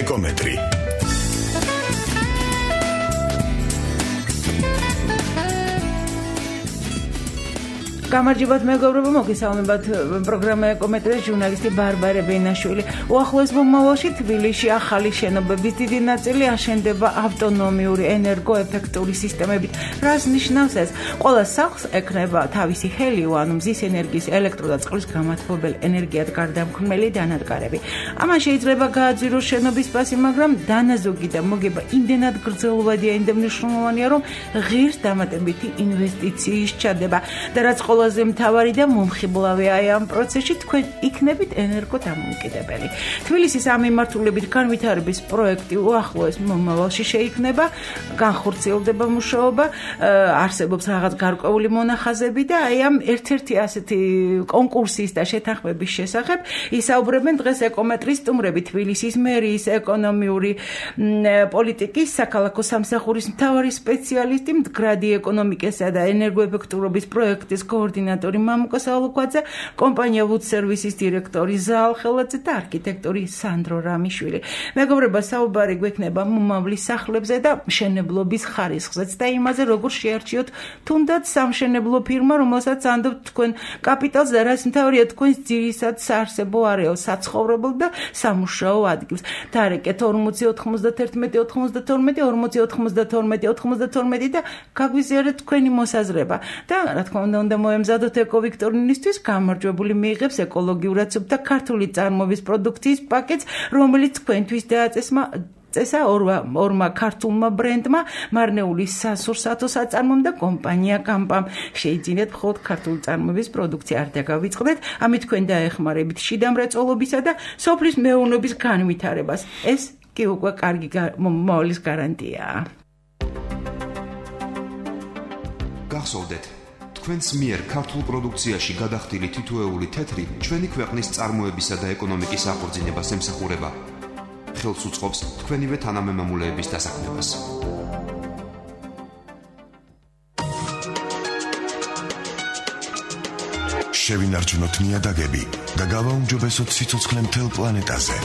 ეკომეტრი. გამარჯობათ მეგობრებო, მოგესალმებათ პროგრამა ეკომეტრი, ჟურნალისტი ბარბარე ბენაშვილი. უახლოეს მომავალში თბილისში ახალი შენობების დიდი ნაწილი აშენდება ავტონომიური ენერგოეფექტური სისტემებით. რას ნიშნავს ეს? ყველა სახლს ექნება თავისი ჰელიო, ანუ მზის ენერგიის, ელექტრო და წყლის გამათბობელ ენერგიად გარდამქმნელი დანადგარები. ამან შეიძლება გააძვიროს შენობის ფასი, მაგრამ დანაზოგი და მოგება იმდენად გრძელვადია, იმდენ მნიშვნელოვანია, რომ ღირს დამატებითი ინვესტიციის ჩადება და რაც ყველაზე მთავარი და მომხიბლავია ამ პროცესში, თქვენ იქნებით ენერგოდამოუკიდებელი. თბილისის ამ მიმართულებით განვითარების პროექტი უახლოეს მომავალში შეიქმნება, განხორციელდება მუშაობა, არსებობს რაღაც გარკვეული მონახაზები და აი ამ ერთ-ერთი ასეთი კონკურსის და შეთანხმების შესახებ ისაუბრებენ დღეს ეკომეტრის სტუმრები, თბილისის მერიის ეკონომიური პოლიტიკის საქალაქო სამსახურის მთავარი სპეციალისტი, მდგრადი ეკონომიკისა და ენერგოეფექტურობის პროექტის კოორდინატორი მამუკა სალუკვაძე, კომპანია Wood Services დირექტორი ზაალ ხელაძე და არქიტექტორი სანდრო რამიშვილი. მეგობრებო, საუბარი გვექნება მომავლის სახლებზე და მშენებლობის ხარისხზეც და იმაზე, როგორ შეარჩიოთ თუნდაც სამშენებლო ფირმა, რომელსაც ანდობთ თქვენ კაპიტალს და რაც მთავარია თქვენს ძირისად საარსებო არეალს, საცხოვრებელ და სამუშაო ადგილს. დარეკეთ 40 91 92 40 92 92 და გაგვიზიარეთ თქვენი მოსაზრება და რა თქმა უნდა მოემზადოთ ეკოვიქტორინისთვის გამარჯვებული მიიღებს ეკოლოგიურად სუფთა ქართული წარმოების პროდუქციის პაკეტს, რომელიც თქვენთვის დააწესა ორმა ქართულმა ბრენდმა, მარნეული სასურსათო საწარმომ და კომპანია კამპამ. შეიძინეთ მხოლოდ ქართული წარმოების პროდუქცია, არ დაგავიწყდეთ, ამით თქვენ დაეხმარებით შიდა მრეწველობისა და სოფლის მეურნეობის განვითარებას. ეს კი უკვე კარგი მომავლის გარანტიაა. გახსოვდეთ, თქვენს მიერ ქართულ პროდუქციაში გადახდილი თითოეული თეთრი ჩვენი ქვეყნის წარმოებისა და ეკონომიკის აღორძინებას ემსახურება. ხელს უწყობს თქვენივე თანამემამულეების დასაქმებას. შევინარჩუნოთ ნიადაგები და გავაუმჯობესოთ სიცოცხლე მთელ პლანეტაზე.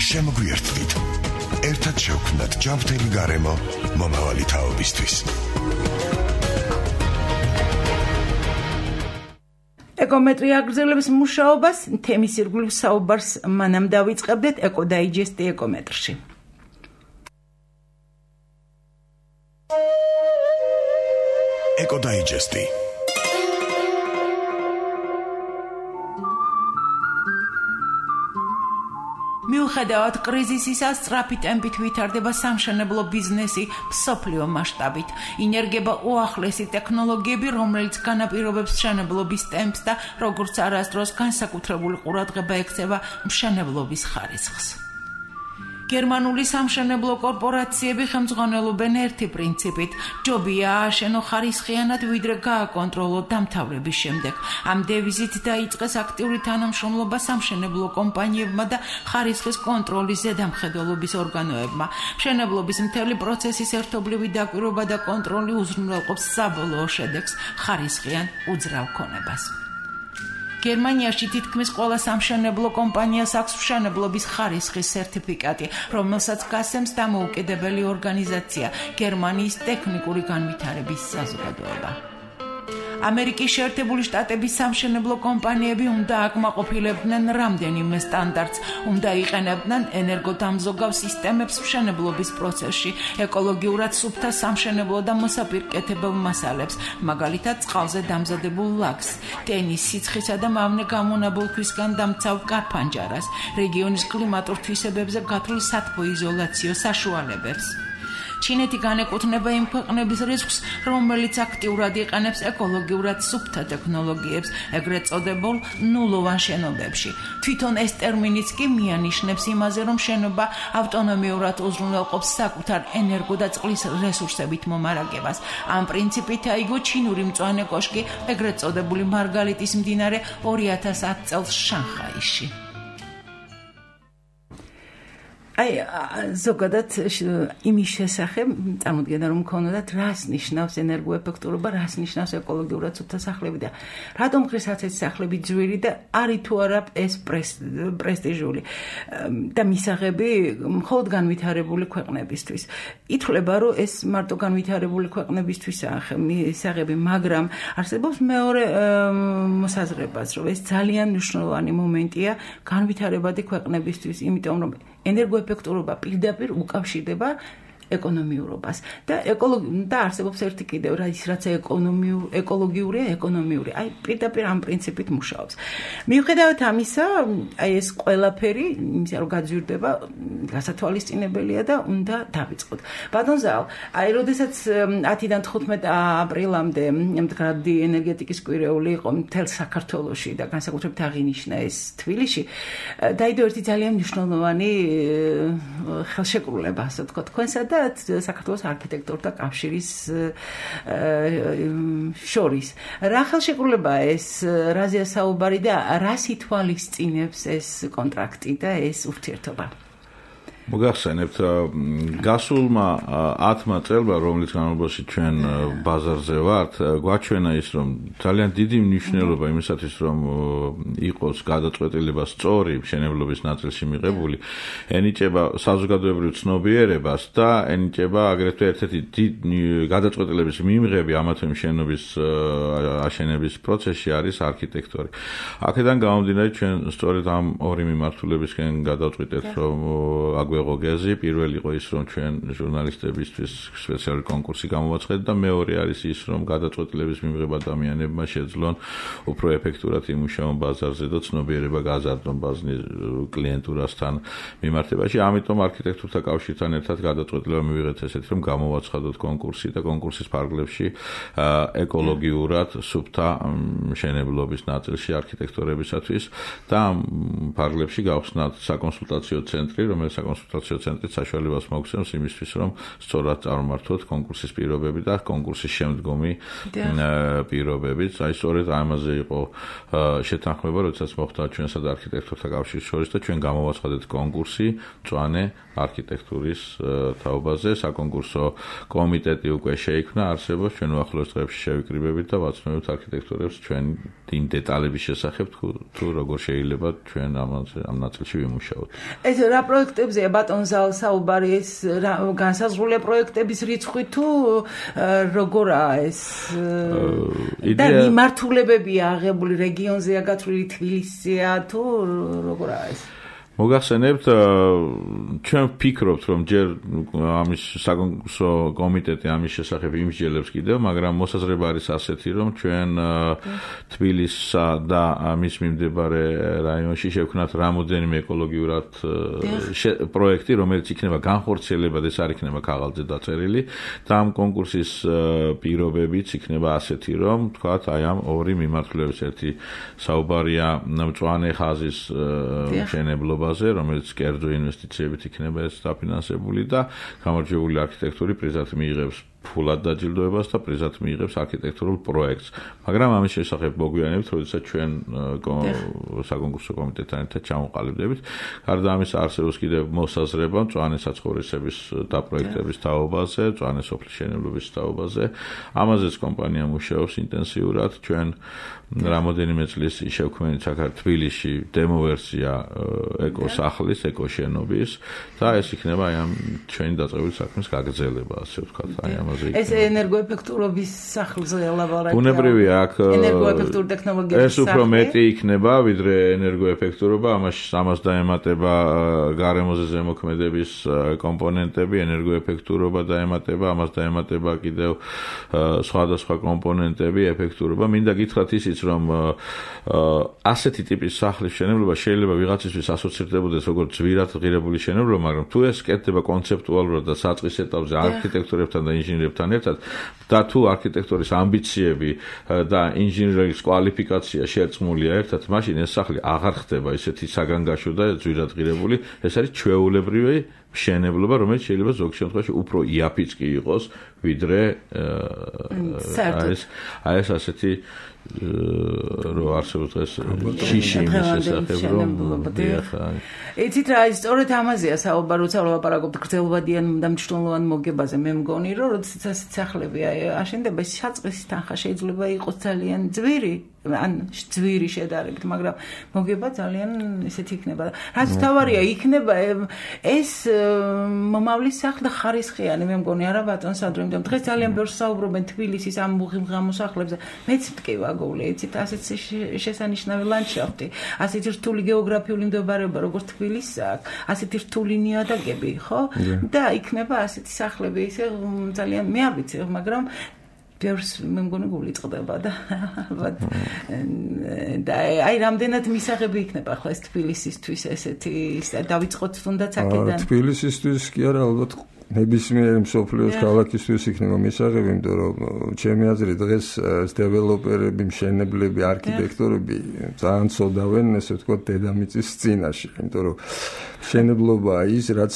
შემოგვიერთდით. ერთად შევქმნათ ჯანმრთელი გარემო მომავალი თაობისთვის. ეკომეტრი აგრძელებს მუშაობას, თემის ირგვლივ საუბარს მანამ დავიწყებდეთ ეკოდაიჯესტი ეკომეტრში. ეკოდაიჯესტი. მიუხედავად კრიზისისა, სწრაფი ტემპით ვითარდება სამშენებლო ბიზნესი მსოფლიო მასშტაბით. ინერგება უახლესი ტექნოლოგიები, რომელიც განაპირობებს მშენებლობის ტემპს და როგორც არასდროს განსაკუთრებული ყურადღება ექცევა მშენებლობის ხარისხს. გერმანული სამშენებლო კორპორაციები ხელმძღვანელობენ ერთი პრინციპით: ჯობია ააშენო ხარისხიანად, ვიდრე გააკონტროლო დამთავრების შემდეგ. ამ დევიზით დაიწყეს აქტიური თანამშრომლობა სამშენებლო კომპანიებმა და ხარისხის კონტროლის ზედამხედველობის ორგანოებმა. მშენებლობის მთელი პროცესის ერთობლივი დაკვირვება და კონტროლი უზრუნველყოფს საბოლოო შედეგს, ხარისხიან უძრავ ქონებას. გერმანიაში თითქმის ყველა სამშენებლო კომპანიას აქვს მშენებლობის ხარისხის სერტიფიკატი, რომელსაც გასცემს დამოუკიდებელი ორგანიზაცია, გერმანიის ტექნიკური განვითარების საზოგადოება. ამერიკის შეერთებული შტატების სამშენებლო კომპანიები უნდა აკმაყოფილებდნენ რამდენიმე სტანდარტს, უნდა იყენებდნენ ენერგოდამზოგავ სისტემებს მშენებლობის პროცესში, ეკოლოგიურად სუფთა სამშენებლო და მოსაპირკეთებელ მასალებს, მაგალითად წყალზე დამზადებულ ლაქს, ტენის სიცხისა და მავნე გამონაბოლ ქვისგან დამცავ კარფანჯარას, რეგიონის კლიმატურ თვისებებზე გათვლილ სათბოიზოლაციო საშუალებებს. ჩინეთი განეკუთვნება იმ ქვეყნების რისკს, რომელიც აქტიურად იყენებს ეკოლოგიურად სუფთა ტექნოლოგიებს, ეგრეთ წოდებულ ნულოვან შენობებში. თვითონ ეს ტერმინიც კი მიანიშნებს იმაზე, რომ შენობა ავტონომიურად უზრუნველყოფს საკუთარ ენერგო და წყლის რესურსებით მომარაგებას. ამ პრინციპით აიგო ჩინური მწვანე კოშკი, ეგრეთ წოდებული მარგალიტის მდინარე 2010 წელს შანხაიში. აი ზოგადად იმის შესახებ წარმოდგენა რომ მქონოდათ რას ნიშნავს ენერგოეფექტურობა, რას ნიშნავს ეკოლოგიურად სუფთა სახლები და რატომ ხშირად ეს სახლები ძვირი და არის თუ არა ეს პრესტიჟული და მისაღები მხოლოდ განვითარებული ქვეყნებისთვის. ითვლება რომ ეს მარტო განვითარებული ქვეყნებისთვისაა მისაღები, მაგრამ არსებობს მეორე მოსაზრებაც, რომ ეს ძალიან მნიშვნელოვანი მომენტია განვითარებადი ქვეყნებისთვის, იმიტომ რომ ენერგოეფექტურობა პირდაპირ უკავშირდება ეკონომიურობას და არსებობს ერთი კიდევ რაც ეკოლოგიურია, ეკონომიური. აი პირდაპირ ამ პრინციპით მუშაობს. მიუხედავად ამისა, აი ეს ყველაფერი, იმისა რომ გაძვირდება, გასათვალისწინებელია და უნდა დავიწყოთ. ბატონ ზაალ, აი როდესაც 10-დან 15 აპრილამდე მდგრადი ენერგეტიკის კვირეული იყო მთელ საქართველოში და განსაკუთრებით აღინიშნა ეს თბილისში, დაიდო ერთი ძალიან მნიშვნელოვანი ხელშეკრულება, ასე ვთქვათ, თქვენსა და საქართველოს არქიტექტორთა კავშირის შორის. რა ხელშეკრულებაა ეს, რაზეა საუბარი და რას ითვალისწინებს ეს კონტრაქტი და ეს ურთიერთობა? მოგახსენებთ, გასულმა 10 წელმა, რომლის განმავლობაში ჩვენ ბაზარზე ვართ, გვაჩვენა ის, რომ ძალიან დიდი მნიშვნელობა იმისათვის, რომ იყოს გადაწყვეტილება სწორი მშენებლობის ნაწილში მიღებული, ენიჭება საზოგადოებრივ ცნობიერებას და ენიჭება აგრეთვე ერთ-ერთი დიდი გადაწყვეტილების მიმღები ამა თუ იმ შენობის აშენების პროცესში არის არქიტექტორი. აქედან გამომდინარე, ჩვენ სწორედ ამ ორი მიმართულებისკენ გადავწყვიტეთ, რომ აგვეღო გეზი, პირველი იყო ის, რომ ჩვენ ჟურნალისტებისთვის სპეციალური კონკურსი გამოვაცხადეთ და მეორე არის ის, რომ გადაწყვეტილების მიმღება ადამიანებმა შეძლონ უფრო ეფექტურად იმუშაონ ბაზარზე და ცნობიერება გაზარდონ ბაზრის კლიენტურასთან მიმართებაში. ამიტომ არქიტექტორთა კავშირთან ერთად გადაწყვეტილება მივიღეთ ესეთი, რომ გამოვაცხადოთ კონკურსი და კონკურსის ფარგლებში ეკოლოგიურად სუფთა მშენებლობის ნაწილში არქიტექტორებისათვის და ამ ფარგლებში გავხსნათ საკონსულტაციო ცენტრი, რომელიც საკონსულტაციო ცენტრით საშუალებას მოგცემს იმისთვის, რომ სწორად წარმართოთ კონკურსის პირობები და კონკურსის შემდგომი პირობებიც. აი სწორედ ამაზე იყო შეთანხმება, როდესაც მოხდა ჩვენსა და არქიტექტორთა კავშირის შორის და ჩვენ გამოვაცხადეთ კონკურსი მწვანე არქიტექტურის თაობაზე. საკონკურსო კომიტეტი უკვე შეიქმნა, არსებობს, ჩვენ უახლოეს დღეებში შევიკრიბებით და ვაცნობთ არქიტექტორებს ჩვენ იმ დეტალების შესახებ, თუ როგორ შეიძლება ჩვენ ამ ნაწილში ვიმუშაოთ. ეს რა პროექტებზეა ბატონ ზაალ საუბარი, ეს განსაზღვრულია პროექტების რიცხვი თუ როგორაა ეს და მიმართულებებია აღებული რეგიონზეა გათვლილი, თბილისზეა თუ როგორაა ეს? მოგახსენებთ, ჩვენ ვფიქრობთ, რომ ჯერ ამის საკონკურსო კომიტეტი ამის შესახებ იმსჯელებს კიდევ, მაგრამ მოსაზრება არის ასეთი, რომ ჩვენ თბილისსა და მის მიმდებარე რაიონში შევქმნათ რამოდენიმე ეკოლოგიურად პროექტი, რომელიც იქნება განხორციელებად, ეს არ იქნება ქაღალდზე დაწერილი და ამ კონკურსის პირობებიც იქნება ასეთი, რომ თქვათ, აი ამ ორი მიმართულების ერთი საუბარია მწვანე ხაზის მშენებლობა, რომელიც კერძო ინვესტიციებით იქნება ეს დაფინანსებული და გამარჯვებული არქიტექტორი პრიზად მიიღებს ფულად დაჯილდოებას და პრიზად მიიღებს არქიტექტურულ პროექტს. მაგრამ ამის შესახებ მოგვიანებით, როდესაც ჩვენ საკონკურსო კომიტეტთან ერთად ჩამოყალიბდებით, გარდა ამისა არსებობს კიდევ მოსაზრება მწვანე საცხოვრისების დაპროექტების თაობაზე, მწვანე სოფლის მშენებლობის თაობაზე. ამაზეც კომპანია მუშაობს ინტენსიურად. ჩვენ რამოდენიმე წლის შევქმნით თბილისში დემო ვერსია ეკოსახლის, ეკოშენობის და ეს იქნება აი ამ ჩვენი დაწყებული საქმის გაგრძელება, ასე ვთქვათ, აი ამაზე იქნება. ეს ენერგოეფექტურობის სახლზე ლაბორატორია. ბუნებრივია აქ ენერგოეფექტური ტექნოლოგიების ეს უფრო მეტი იქნება, ვიდრე ენერგოეფექტურობა, ამას დაემატება გარემოზე ზემოქმედების კომპონენტები, ენერგოეფექტურობა დაემატება, ამას დაემატება კიდევ სხვადასხვა კომპონენტები, ეფექტურობა. მინდა გითხრათ ისიც, რომ ასეთი ტიპის სახლის მშენებლობა შეიძლება ვიღაცისთვის ასოცირდებოდეს როგორც ძვირად ღირებული მშენებლობა, მაგრამ თუ ეს კეთდება კონცეპტუალურად და საწყის ეტაპზე არქიტექტორებთან და ინჟინერებთან ერთად და თუ არქიტექტორის ამბიციები და ინჟინერიის კვალიფიკაცია შერწყმულია ერთად, მაშინ ეს სახლი აღარ ხდება ისეთი საგანგაშო და ძვირად ღირებული, ეს არის ჩვეულებრივი მშენებლობა, რომელიც შეიძლება ზოგ შემთხვევაში უფრო იაფიც კი იყოს, ვიდრე ეს ასეთი რო არსებობს დღეს შიში იმის შესახებ, რომ იცით რა, სწორედ ამაზეა საუბარი, როცა ვლაპარაკობთ გრძელვადიან და მნიშვნელოვან მოგებაზე, მე მგონი, რომ როდესაც ასეთ სახლები აშენდება, საწყისი თანხა შეიძლება იყოს ძალიან ძვირი, ან ძვირი შედარებით, მაგრამ მოგება ძალიან ისეთი იქნება. რაც თავარია, იქნება ეს მომავლის სახლი და ხარისხიანი, მე მგონი, არა ბატონ სანდრო, იმიტომ დღეს ძალიან ბევრს საუბრობენ თბილისის ამ მუღიმ სახლებზე. მეც მტკივა გოვლი, იცით, ასეთ შესანიშნავი ლანდშაფტი, ასეთი რთული გეოგრაფიული მდებარეობა, როგორც თბილისს აქვს, ასეთი რთული ნიადაგები, ხო? და იქნება ასეთი სახლები, ისე ძალიან მე არ ვიცი, მაგრამ ბევრს მე მგონი გული წყდება და ალბათ და აი რამდენად მისაღები იქნება ახლა ეს თბილისისთვის ესეთი დავიწყოთ თუნდაც აქედან თბილისისთვის კი არა ალბათ ნებისმიერი მსოფლიოს ქალაქისთვის იქნება მისაღები, იმიტომ რომ ჩემი აზრით დღეს დეველოპერები, მშენებლები, არქიტექტორები ძალიან ცოდავენ, ესე ვთქვათ, დედამიწის წინაშე, იმიტომ რომ მშენებლობა ის, რაც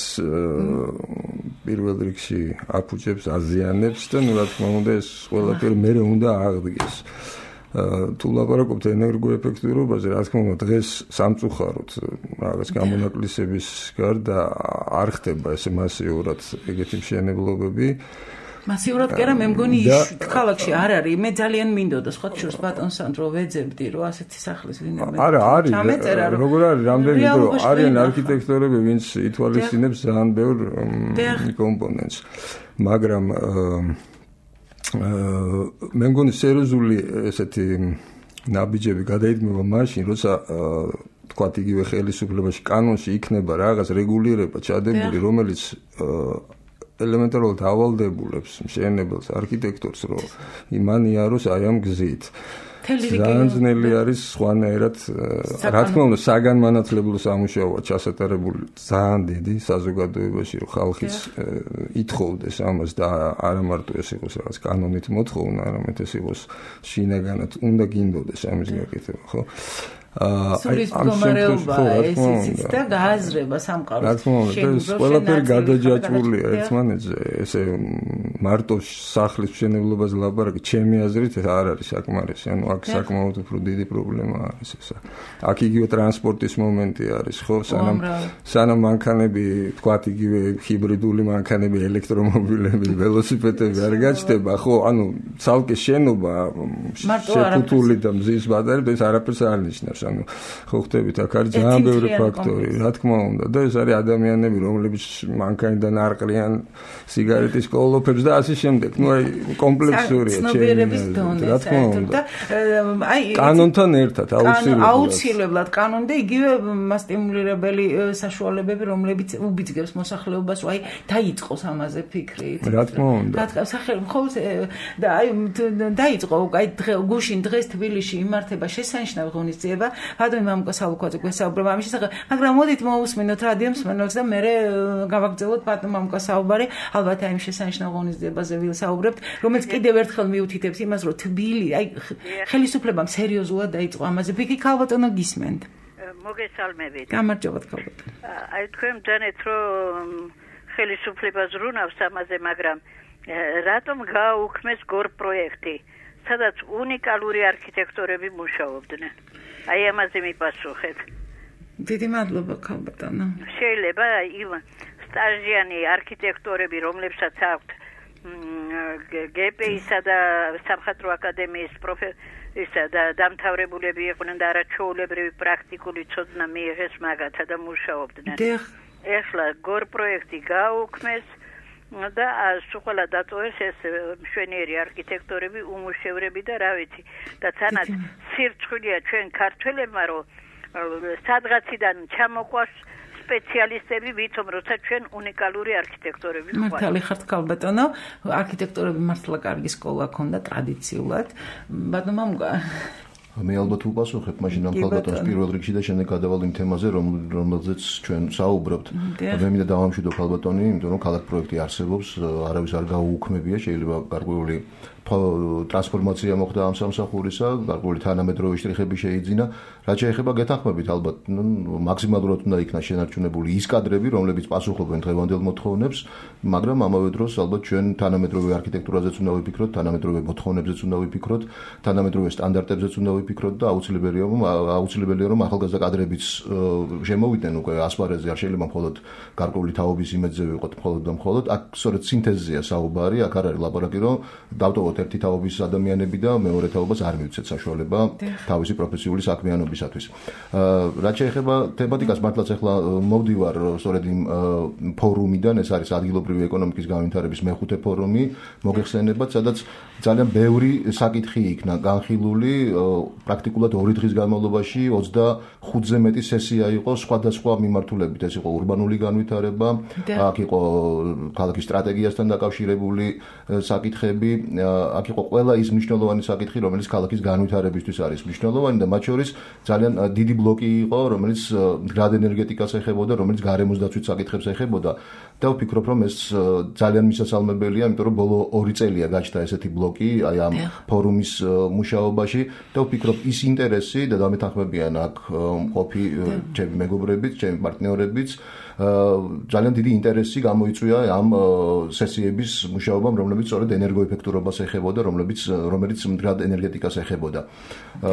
პირველ რიგში აფუჭებს, აზიანებს და რა თქმა უნდა ეს ყველაფერი მერე უნდა აღდგეს. თუ ლაპარაკობთ ენერგოეფექტურობაზე, რა თქმა უნდა, დღეს სამწუხაროდ რაღაც გამონაკლისების გარდა არ ხდება ესე მასიურად ეგეთი მშენებლობები. მასიურად კი არა, მე მგონი ქალაქში არ არის. მე ძალიან მინდოდა სხვა შორს ბატონ სანდრო ვეძებდი, რომ ასეთი სახლის ვინმე. არა, არის. როგორ არის, რამდენი დრო არიან არქიტექტორები, ვინც ითვალისწინებს ძალიან ბევრ კომპონენტს. მაგრამ მე მგონი სერიოზული ესეთი ნაბიჯები გადაიდგება მაშინ, როცა თქვათ იგივე ხელისუფლებაში კანონში იქნება რაღაც რეგულირება ჩადებული, რომელიც ელემენტარულად ავალდებულებს მშენებელს, არქიტექტორს, რომ იმან იაროს აი ამ გზით. ძალიან ძნელი არის სხვანაირად, რა თქმა უნდა, საგანმანათლებლო სამუშაოა ჩასატარებული ძალიან დიდი საზოგადოებაში, რომ ხალხიც ითხოვდეს ამას და არა მარტო ეს იყოს რაღაც კანონით მოთხოვნა, არამედ ეს იყოს შინაგანად უნდა გინდოდეს ამის გაკეთება, ხო? სულის მდგომარეობაა ეს იცით და გააზრება სამყაროს. რა თქმა უნდა, ეს ყველაფერი გადაჯაჭვულია ერთმანეთზე, ესე მარტო სახლის მშენებლობაზე ლაპარაკი, ჩემი აზრით არ არის საკმარისი, ანუ აქ საკმაოდ უფრო დიდი პრობლემა არის ესა. აქ იგივე ტრანსპორტის მომენტი არის, ხო, სანამ მანქანები, თქვათ იგივე ჰიბრიდული მანქანები, ელექტრომობილები, ველოსიპედები არ გაჩნდება, ხო, ანუ ცალკე შენობა შეთუთული და მზის ბატარეები ეს არაფერს არ ნიშნავს. ანუ ხო ხდებით, აქ არის ძალიან ბევრი ფაქტორი, რა თქმა უნდა, და ეს არის ადამიანები, რომლებიც მანქანიდან არყრიან სიგარეტის კოლოფებს და ასე შემდეგ. ნუ აი კომპლექსურია ცნობიერების დონე, რა თქმა უნდა. აი კანონთან ერთად აუცილებლად კანონი და იგივე მასტიმულირებელი საშუალებები, რომლებიც უბიძგებს მოსახლეობას, აი დაიწყოს ამაზე ფიქრი. რა თქმა უნდა. ხოლმე და აი დაიწყო, აი გუშინ დღეს თბილისში იმართება შესანიშნავი ღონისძიება. ბატონი მამუკა სალუქვაძე გვესაუბრება ამის შესახებ, მაგრამ მოდით მოვუსმინოთ რადიო მსმენელს და მე გავაგრძელოთ ბატონ მამუკა საუბარი, ალბათ აი შესანიშნავ ღონისძიებაზე ვისაუბრებთ, რომელიც კიდევ ერთხელ მიუთითებს იმას, რომ თბილი, აი ხელისუფლებამ სერიოზულად დაიწყო ამაზე ფიქრი, ქალბატონო გისმენთ. მოგესალმებით. გამარჯობათ ქალბატონო. აი თქვენ დანეთ რომ ხელისუფლებას რუნავს ამაზე, მაგრამ რატომ გააუქმეს გორ პროექტი, სადაც უნიკალური არქიტექტორები მუშაობდნენ? აი ამაზე მიპასუხეთ. დიდი მადლობა ქალბატონო. შეიძლება იმ სტაჟიანი არქიტექტორები, რომლებსაც აქვთ გპ-ისა და სამხატვრო აკადემიის პროფესორისა და დამთავრებულები იყვნენ და არაჩვეულებრივი პრაქტიკული ცოდნა მიიღეს მაგათა და მუშაობდნენ. ეხლა გორ პროექტი გააუქმეს და სულ დაწოვეს ეს მშვენიერი არქიტექტორები, უმუშევრები და რა ვიცი. და თანაც სირცხვილია ჩვენ ქართველებმა, რომ სადღაციდან ჩამოყვას სპეციალისტები, ვითომ როცა ჩვენ უნიკალური არქიტექტორები ვიყავით. მართალი ხართ ქალბატონო, არქიტექტორები მართლა კარგი სკოლა ჰქონდა ტრადიციულად. ბატონო მამუკა მე ალბათ უპასუხებ მაშინ ამ ქალბატონს პირველ რიგში და შემდეგ გადავალ იმ თემაზე, რომელზეც ჩვენ საუბრობთ. მე მინდა დავამშვიდო ქალბატონი, იმიტომ რომ ქალაქ პროექტი არსებობს, არავის არ გაუუქმებია, შეიძლება გარკვეული ტრანსფორმაცია მოხდა ამ სამსახურისა, გარკვეული თანამედროვე შტრიხები შეიძინა. რაც შეეხება გეთანხმებით, ალბათ მაქსიმალურად უნდა იქნას შენარჩუნებული ის კადრები, რომლებიც პასუხობენ დღევანდელ მოთხოვნებს, მაგრამ ამავე დროს ალბათ ჩვენ თანამედროვე არქიტექტურაზეც უნდა ვიფიქროთ, თანამედროვე მოთხოვნებზეც უნდა ვიფიქროთ, თანამედროვე სტანდარტებზეც უნდა ვიფიქროთ და აუცილებელია რომ ახალგაზრდა კადრებიც შემოვიდნენ უკვე ასპარეზზე, არ შეიძლება მხოლოდ გარკვეული თაობის იმედზე ვიყოთ მხოლოდ და მხოლოდ. აქ სწორედ სინთეზია საუბარი, აქ არ არის ლაპარაკი, რომ დავტოვოთ ერთი თაობის ადამიანები და მეორე თაობას არ მივცეთ საშუალება თავისი პროფესიული საქმიანობისათვის. რაც შეეხება თემატიკას, მართლაც ახლა მოვდივარ სწორედ იმ ფორუმიდან, ეს არის ადგილობრივი ეკონომიკის განვითარების მეხუთე ფორუმი, მოგეხსენებათ, სადაც ძალიან ბევრი საკითხი იქნა განხილული, პრაქტიკულად 2 დღის განმავლობაში 25-ზე მეტი სესია იყო სხვადასხვა მიმართულებით, ეს იყო ურბანული განვითარება, აქ იყო ქალაქის სტრატეგიასთან დაკავშირებული საკითხები, აქ იყო ყველა ის მნიშვნელოვანი საკითხი, რომელიც ქალაქის განვითარებისთვის არის მნიშვნელოვანი და მათ შორის ძალიან დიდი ბლოკი იყო, რომელიც მდგრად ენერგეტიკას ეხებოდა, რომელიც გარემოს დაცვით საკითხებს ეხებოდა და ვფიქრობ, რომ ეს ძალიან მისასალმებელია, იმიტომ რომ ბოლო 2 წელია გაჩნდა ესეთი ბლოკი აი ამ ფორუმის მუშაობაში და ვფიქრობ ის ინტერესი და დამეთანხმებიან აქ მყოფი ჩემი მეგობრებიც, ჩემი პარტნიორებიც ძალიან დიდი ინტერესი გამოიწვია ამ სესიების მუშაობამ, რომლებიც სწორედ ენერგოეფექტურობას ეხებოდა, რომელიც მდგრად ენერგეტიკას ეხებოდა.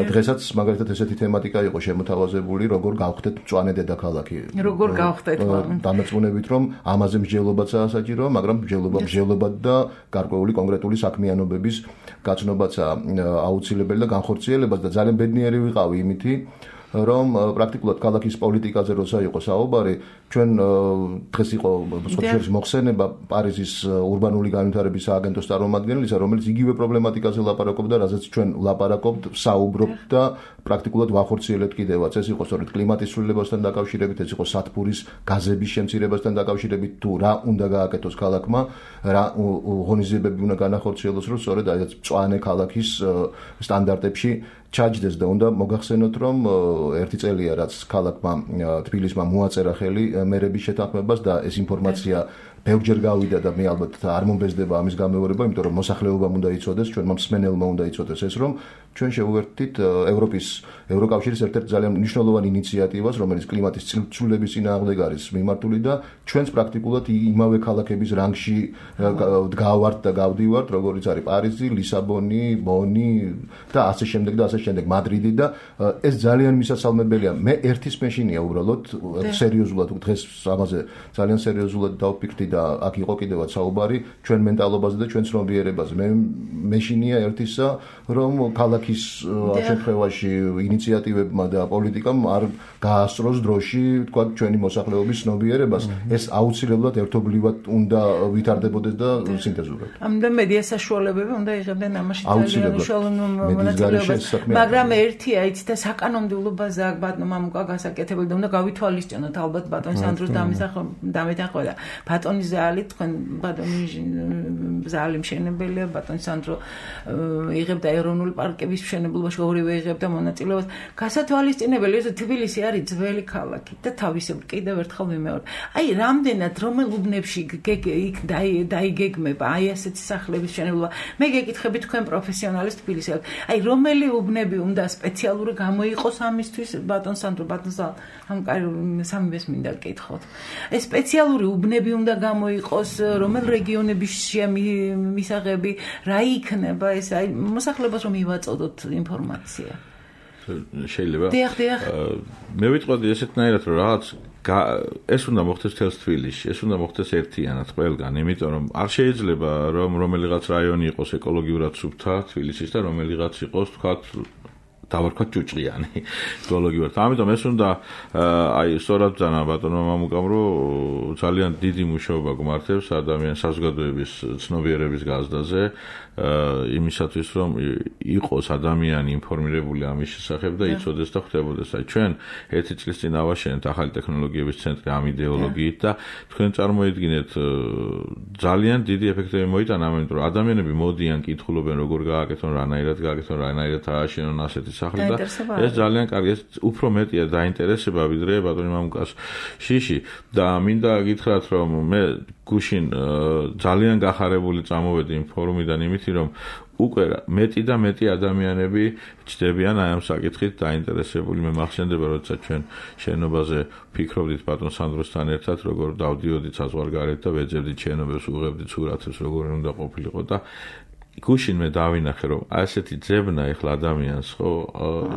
დღესაც მაგალითად ესეთი თემატიკა იყო შემოთავაზებული, როგორ გავხდეთ მწვანე დედაქალაქი. როგორ გავხდეთ? დამარწმუნებით, რომ ამაზე მსჯელობაცაა საჭირო, მაგრამ მსჯელობად და გარკვეული კონკრეტული საქმიანობების გაცნობაცაა აუცილებელი და განხორციელებაც და ძალიან ბედნიერი ვიყავი იმითი, რომ პრაქტიკულად ქალაქის პოლიტიკაზე როცა იყო საუბარი, ჩვენ დღეს იყო სოციალიზმის მოხსენება პარიზის ურბანული განვითარების სააგენტოს წარმომადგენლისა, რომელიც იგივე პრობლემატიკაზე ლაპარაკობდა, რაზეც ჩვენ ლაპარაკობთ, საუბრობთ და პრაქტიკულად ვახორციელებთ კიდევაც. ეს იყო სწორედ კლიმატის ცვლილებასთან დაკავშირებით, ეს იყო სათბურის გაზების შემცირებასთან დაკავშირებით, თუ რა უნდა გააკეთოს ქალაქმა, რა ღონისძიებები უნდა განახორციელოს, რომ სწორედ აი ეს მწვანე ქალაქის სტანდარტებში ჩაჯდეს და უნდა მოგახსენოთ, რომ 1 წელია რაც ქალაქმა თბილისმა მოაწერა ხელი მერების შეთანხმებას და ეს ინფორმაცია ბევრჯერ გავიდა და მე ალბათ არ მომბეზდება ამის გამეორება, იმიტომ რომ მოსახლეობამ უნდა იცოდეს, ჩვენმა მსმენელმა უნდა იცოდეს ეს, რომ ჩვენ შევუერთდით ევროკავშირის ერთ-ერთ ძალიან მნიშვნელოვან ინიციატივას, რომელიც კლიმატის ცვლილების წინააღმდეგ არის მიმართული და ჩვენს პრაქტიკულად იმავე ქალაქების რანგში გავართ და გავდივართ, როგორიც არის პარიზი, ლისაბონი, ბონი და ასე შემდეგ მადრიდი და ეს ძალიან მისასალმებელია. მე ერთის მეშინია უბრალოდ სერიოზულად დღეს ამაზე ძალიან სერიოზულად დავფიქრდი და აქ იყო კიდევაც საუბარი ჩვენ მენტალობაზე და ჩვენ ცნობიერებაზე. მე მეშინია ერთისა, რომ ქალაქის შემთხვევაში ინიციატივებმა და პოლიტიკამ არ გაასწროს დროში, თქვა ჩვენი მოსახლეობის ცნობიერებას. ეს აუცილებლად ერთობლივად უნდა ვითარდებოდეს და სინთეზურად. ამიტომ მედია საშუალებები უნდა იღებდნენ ამაში ძალიან უშუალო მონაწილეობას. მაგრამ ერთია იცი და საკანონმდებლობაზე აქ ბატონო მამუკა გასაკეთებელი და უნდა გავითვალისწინოთ ალბათ ბატონ სანდროს დამეთანხმება. ბატონი ზალი თქვენ ბატონი ზალი მშენებელია, ბატონ სანდრო იღებდა ეროვნული პარკების მშენებლობაში, ორივე იღებდა მონაწილეობას. გასათვალისწინებელი ეს თბილისი არის ძველი ქალაქი და თავისებური კიდევ ერთხელ ვიმეორე. აი რამდენად რომელ უბნებში იქ დაიგეგმება აი ასეთი სახლების მშენებლობა. მე გეკითხები თქვენ პროფესიონალის თბილისში. აი რომელი უბნები უნდა სპეციალური გამოიყოს ამისთვის ბატონ სანდრო ბატონ ზალ ამ სამივეს მინდა გკითხოთ. ეს სპეციალური უბნები უნდა გამოიყოს, რომელ რეგიონების მისაღები, რა იქნება ეს აი მოსახლეობას რომ ივაწოდოთ ინფორმაცია. შეიძლება. დიახ. მე ვიტყოდი ესეთნაირად რომ რაღაც ეს უნდა მოხდეს თელს თბილისში, ეს უნდა მოხდეს ერთიანად ყველგან, იმიტომ რომ არ შეიძლება რომ რომელიღაც რაიონი იყოს ეკოლოგიურად სუფთა თბილისის და რომელიღაც იყოს თქვათ დავარქვათ ჭუჭყიანი ეკოლოგიურად. ამიტომ ეს უნდა აი სწორად ძანა ბატონო მამუკამ რომ ძალიან დიდი მუშაობა გმართებს ადამიანის საზოგადოების ცნობიერების გაზრდაზე, იმისათვის რომ იყოს ადამიანი ინფორმირებული ამის შესახებ და იცოდეს და ხვდებოდეს. აი ჩვენ 1 წლის წინ ავაშენეთ ახალი ტექნოლოგიების ცენტრი ამ იდეოლოგიით და თქვენ წარმოიდგინეთ ძალიან დიდი ეფექტები მოიტანა, ამიტომ რომ ადამიანები მოდიან, კითხულობენ როგორ გააკეთონ, რანაირად გააკეთონ, რანაირად ააშენონ ასეთი სახლი და ეს ძალიან კარგი, ეს უფრო მეტია დაინტერესება ვიდრე ბატონი მამუკას შიში და მინდა გითხრათ რომ მე გუშინ ძალიან გახარებული წამოვედი იმ ფორუმიდან იმითი რომ უკვე მეტი და მეტი ადამიანები ჩდებიან აი ამ საკითხით დაინტერესებული. მე მახსენდება როცა ჩვენ შენობაზე ფიქრობდით ბატონ სანდროსთან ერთად როგორ დავდიოდით საზღვარგარეთ და ვეძებდით შენობებს უღებდით სურათებს როგორ უნდა ყოფილიყო და გუშინ მე დავინახე რომ ასეთი ძებნა ეხლა ადამიანს ხო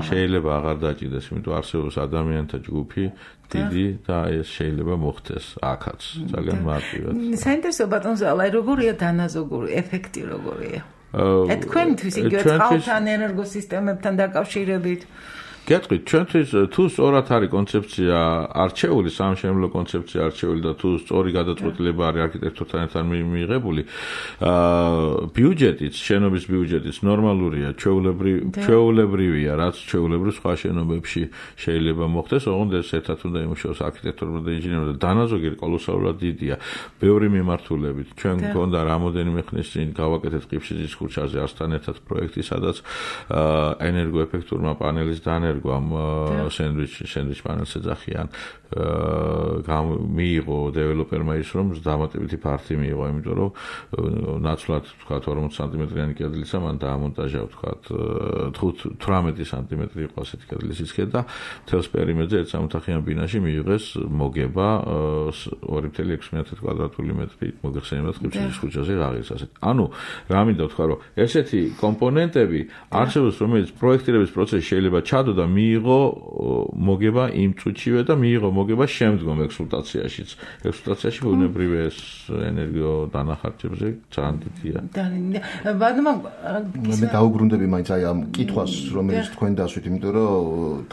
შეიძლება აღარ დაჭიდეს, იმიტომ არსებობს ადამიანთა ჯგუფი დიდი და ეს შეიძლება მოხდეს აქაც ძალიან მარტივად. საინტერესო ბატონ ზალა, როგორია დანაზოგური ეფექტი როგორია? თქვენთვის იგივე წყალთან ენერგოსისტემებთან დაკავშირებით გეტყვით, ჩვენთვის თუ სწორად არის კონცეფცია არჩეული, სამშენებლო კონცეფცია არჩეული და თუ სწორი გადაწყვეტილება არის არქიტექტორთან ერთად მიღებული, ბიუჯეტიც, შენობის ბიუჯეტიც ნორმალურია, ჩვეულებრივია, რაც ჩვეულებრივ სხვა შენობებში შეიძლება მოხდეს, ოღონდ ეს ერთად უნდა იმუშაოს არქიტექტორმა და ინჟინერმა და დანაზოგი კოლოსალურად დიდია. ბევრი მიმართულებით. ჩვენ გქონდა რამოდენიმე ხნის წინ გავაკეთეთ ყიფშიძის ქუჩაზე ასთან ერთად პროექტი, სადაც ენერგოეფექტურმა პანელის დანერგვა ამ სენდვიჩ პანელს ეძახიან მიიღო დეველოპერმა ის რომ დამატებითი ფართი მიიღო, იმიტომ რომ ნაცვლად თქვა 40 სანტიმეტრიანი კედლისა მან დაამონტაჟა თქვა 18 სანტიმეტრი იყო ასეთი კედლის სისქე და მთელს პერიმეტრზე ერთ სამოთახიან ბინაში მიიღეს მოგება 2.6 კვადრატული მეტრი მოგეხსენებათ ყიფშიძის ქუჩაზე აღის ასეთ. ანუ რა მინდა ვთქვა რომ ესეთი კომპონენტები არსებობს რომელიც პროექტირების პროცესში შეიძლება ჩადო და მიიღო მოგება იმ წუთშივე და მიიღო მოგება შემდგომ ექსპლუატაციაშიც. ექსპლუატაციაში ბუნებრივი ეს ენერგიო დანახარჯებზე ძალიან დიდია. მე დაუბრუნდები მაინც აი ამ კითხვას, რომელიც თქვენ დასვით, იმიტომ რომ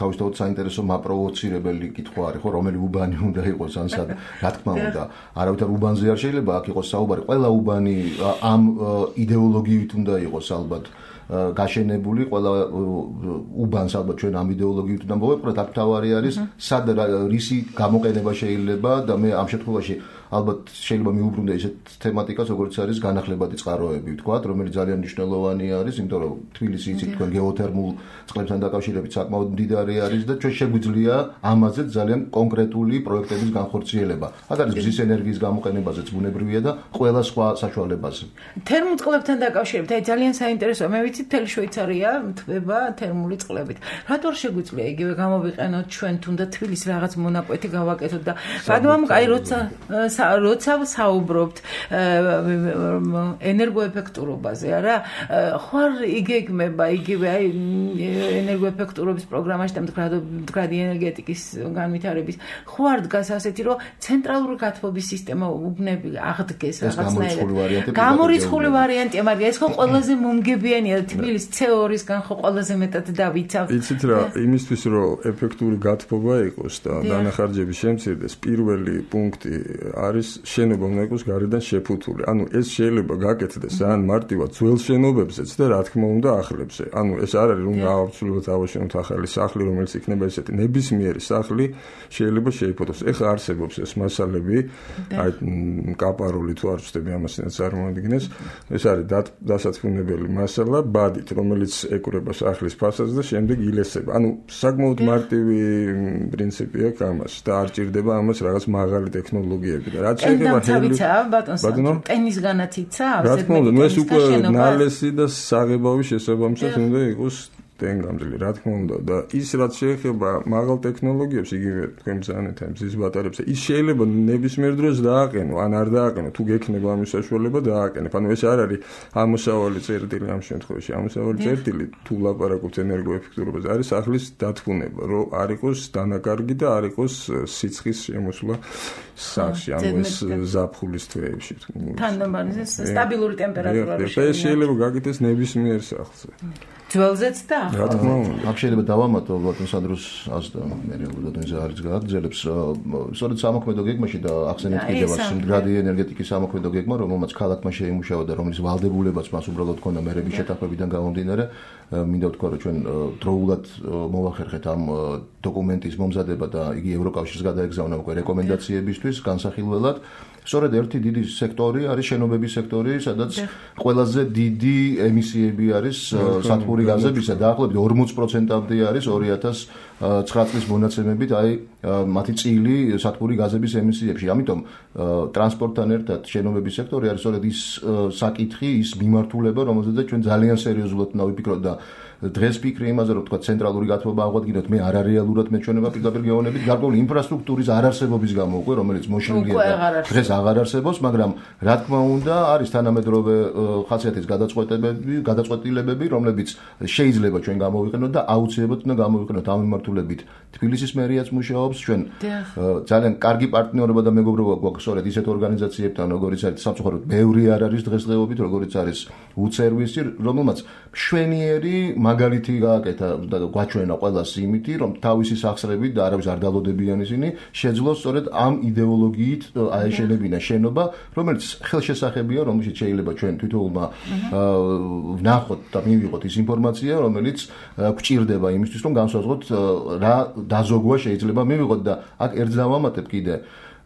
თავისთავად საინტერესო მაპროვოცირებელი კითხვა არის, ხო, რომელი უბანი უნდა იყოს ან სად, რა თქმა უნდა. არავითარ უბანზე არ შეიძლება აქ იყოს საუბარი, ყველა უბანი ამ იდეოლოგიით უნდა იყოს ალბათ გაშენებული, ყველა უბანს ალბათ ჩვენ ამ იდეოლოგიით უნდა მოვეპყროთ, აქ თავარი არის სად რისი გამოყენება შეიძლება და მე ამ შემთხვევაში ალბათ შეიძლება მიუბრუნდე ისეთ თემატიკას, როგორც არის განახლებადი წყაროები, ვთქვათ, რომელიც ძალიან მნიშვნელოვანი არის, იმიტომ რომ თბილისი იცით თქვენ გეოთერმულ წყლებთან დაკავშირებით საკმაოდ მდიდარი არის და ჩვენ შეგვიძლია ამაზე ძალიან კონკრეტული პროექტების განხორციელება. აქ არის მზის ენერგიის გამოყენებაზეც ბუნებრივია და ყველა სხვა საშუალებაზე. თერმულ წყლებთან დაკავშირებით, აი ძალიან საინტერესოა, მე ვიცი მთელი შვეიცარია მთვება თერმული წყლებით. რატო არ შეგვიძლია იგივე გამოვიყენოთ ჩვენ თუნდაც თბილისის რაღაც მონაკვეთი გავაკეთოთ და ბატონო აი როცა საუბრობთ ენერგოეფექტურობაზე, არა? ხარ იგეგმება იგივე აი ენერგოეფექტურობის პროგრამაში და მდგრადი ენერგეტიკის განვითარების ხარ დგას ასეთი, რომ ცენტრალური გათბობის სისტემა უბნები აღდგეს რაღაცნაირად. გამორიცხული ვარიანტია, მაგრამ ეს ხო ყველაზე მომგებიანია თბილისის CO2-სგან ხო ყველაზე მეტად დავიცავთ. იცით რა, იმისთვის რომ ეფექტური გათბობა იყოს და დანახარჯები შემცირდეს, პირველი პუნქტი არის შენობა უნდა იყოს გარედან შეფუთული. ანუ ეს შეიძლება გაკეთდეს ძალიან მარტივად ძველ შენობებზეც და რა თქმა უნდა ახლებზე. ანუ ეს არ არის რომ გავაცვლოთ ავაშენოთ ახალი სახლი, რომელიც იქნება ესეთი ნებისმიერი სახლი შეიძლება შეიფოთოს. ეხლა არსებობს ეს მასალები, აი კაპარული თუ არ ვწდები ამას წარმოადგენს. ეს არის დასათქმულებელი მასალა, ბადით, რომელიც ეკვრება სახლის ფასადს და შემდეგ ილესება. ანუ საკმაოდ მარტივი პრინციპი აქვს ამას და არ ჭირდება ამას რაღაც მაღალი ტექნოლოგიები. რაც შეიძლება ბატონო ტენისგანაც იცავს? რა თქმა უნდა, ეს უკვე ნალესი და საღებავი შესაბამისად უნდა იყოს ტენგამძლე, რა თქმა უნდა და ის რაც შეეხება მაღალ ტექნოლოგიებს, იგივე თქვენ ბრძანეთ ამ მზის ბატარეებზე, ის შეიძლება ნებისმიერ დროს დააყენო, ან არ დააყენო, თუ გექნება ამის საშუალება დააყენებ. ანუ ეს არ არის ამოსავალი წერტილი ამ შემთხვევაში. ამოსავალი წერტილი თუ ლაპარაკობთ ენერგოეფექტურობაზე, არის სახლის დათბუნება, რომ არ იყოს დანაკარგი და არ იყოს სიცხის შემოსვლა სახლში, ანუ ეს ზაფხულის თვეებში. თანაბარი სტაბილური ტემპერატურა ეს შეიძლება გაკეთდეს ნებისმიერ სახლზე. ძველზეც და რა თქმა უნდა. აქ შეიძლება დავამატო ბატონ სანდროს აზრს, მე ბატონზე არის გააგრძელებს. სწორედ სამოქმედო გეგმაში და ახსენეთ კიდევ раз მდგრადი ენერგეტიკის სამოქმედო გეგმა, რომელმაც ქალაქმა შეიმუშავა და რომლის ვალდებულებაც მას უბრალოდ ქონდა მერების შეთანხმებიდან გამომდინარე, მინდა ვთქვა, რომ ჩვენ დროულად მოვახერხეთ ამ დოკუმენტის მომზადება და იგი ევროკავშირს გადაეგზავნა უკვე რეკომენდაციებისთვის განსახილველად. სწორედ ერთი დიდი სექტორი არის შენობების სექტორი, სადაც ყველაზე დიდი ემისიები არის სათბური სათბური გაზებისა დაახლოებით 40%-ამდე არის 2009 წლის მონაცემებით აი მათი წილი სათბური გაზების ემისიებში. ამიტომ ტრანსპორტთან ერთად შენობების სექტორი არის სწორედ ის საკითხი, ის მიმართულება, რომელზეც ჩვენ ძალიან სერიოზულად უნდა ვიფიქროთ და დღეს ფიქრი იმაზე, რომ თქვა ცენტრალური გათბობა აღვადგინოთ, მე არარეალურად მეჩვენება პირდაპირ გეუბნებით, გარკვეული ინფრასტრუქტურის არარსებობის გამო უკვე, რომელიც მოშლილია და დღეს აღარ არსებობს, მაგრამ რა თქმა უნდა, არის თანამედროვე ხასიათის გადაწყვეტილებები, რომლებიც შეიძლება ჩვენ გამოვიყენოთ და აუცილებლად უნდა გამოვიყენოთ ამ მიმართულებით. თბილისის მერიაც მუშაობს, ჩვენ ძალიან კარგი პარტნიორობა და მეგობრობა გვაქვს სწორედ ისეთ ორგანიზაციებთან, როგორიც არის სამწუხაროდ ბევრი არ არის დღესდღეობით, როგორიც არის უცერვისი, რომელმაც მშვენიერი მაგალითი გააკეთა და გვაჩვენა ყველას იმითი, რომ თავისი სახსრებით და არავის არ დალოდებიან ისინი, შეძლოს სწორედ ამ იდეოლოგიით აეშენებინა შენობა, რომელიც ხელშესახებია, რომელშიც შეიძლება ჩვენ თვითონმა ვნახოთ და მივიღოთ ის ინფორმაცია, რომელიც გვჭირდება იმისთვის, რომ განსაზღვროთ რა დაზოგვა შეიძლება მივიღოთ და აქ ერთ დავამატებ კიდე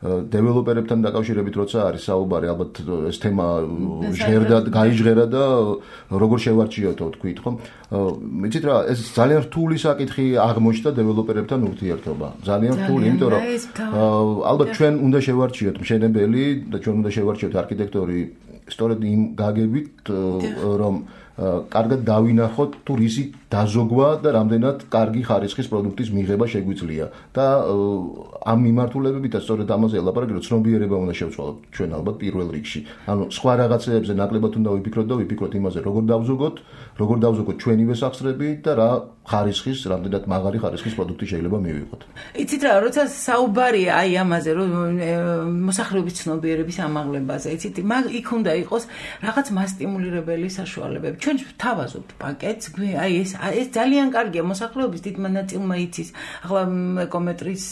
დეველოპერებთან დაკავშირებით როცა არის საუბარი, ალბათ ეს თემა გაიჟღერა და როგორ შევარჩიოთო თქვით, ხო? იცით რა, ეს ძალიან რთული საკითხი აღმოჩნდა დეველოპერებთან ურთიერთობა. ძალიან რთული, იმიტომ რომ ალბათ ჩვენ უნდა შევარჩიოთ მშენებელი და ჩვენ უნდა შევარჩიოთ არქიტექტორი სწორედ იმ გაგებით, რომ კარგად დავინახოთ თუ რისი დაზოგვა და რამდენად კარგი ხარისხის პროდუქტის მიღება შეგვიძლია და ამ მიმართულებებითაც სწორედ ამაზე ელაპარაკი, რომ ცნობიერება უნდა შევცვალოთ ჩვენ ალბათ პირველ რიგში. ანუ სხვა რაღაცეებზე ნაკლებად უნდა ვიფიქროთ და ვიფიქროთ იმაზე, როგორ დავზოგოთ ჩვენივე სახსრები და რა ხარისხის, რამდენად მაღალი ხარისხის პროდუქტი შეიძლება მივიღოთ. იცით რა, როცა საუბარია აი ამაზე, რომ მოსახლეობის ცნობიერების ამაღლებაზე, იცით, იქ უნდა იყოს რაღაც მასტიმულირებელი საშუალებები. ჩვენ ვთავაზობთ პაკეტს, აი ეს ძალიან კარგია მოსახლეობის დიდმა ნაწილმა იცის. ახლა ეკომეტრის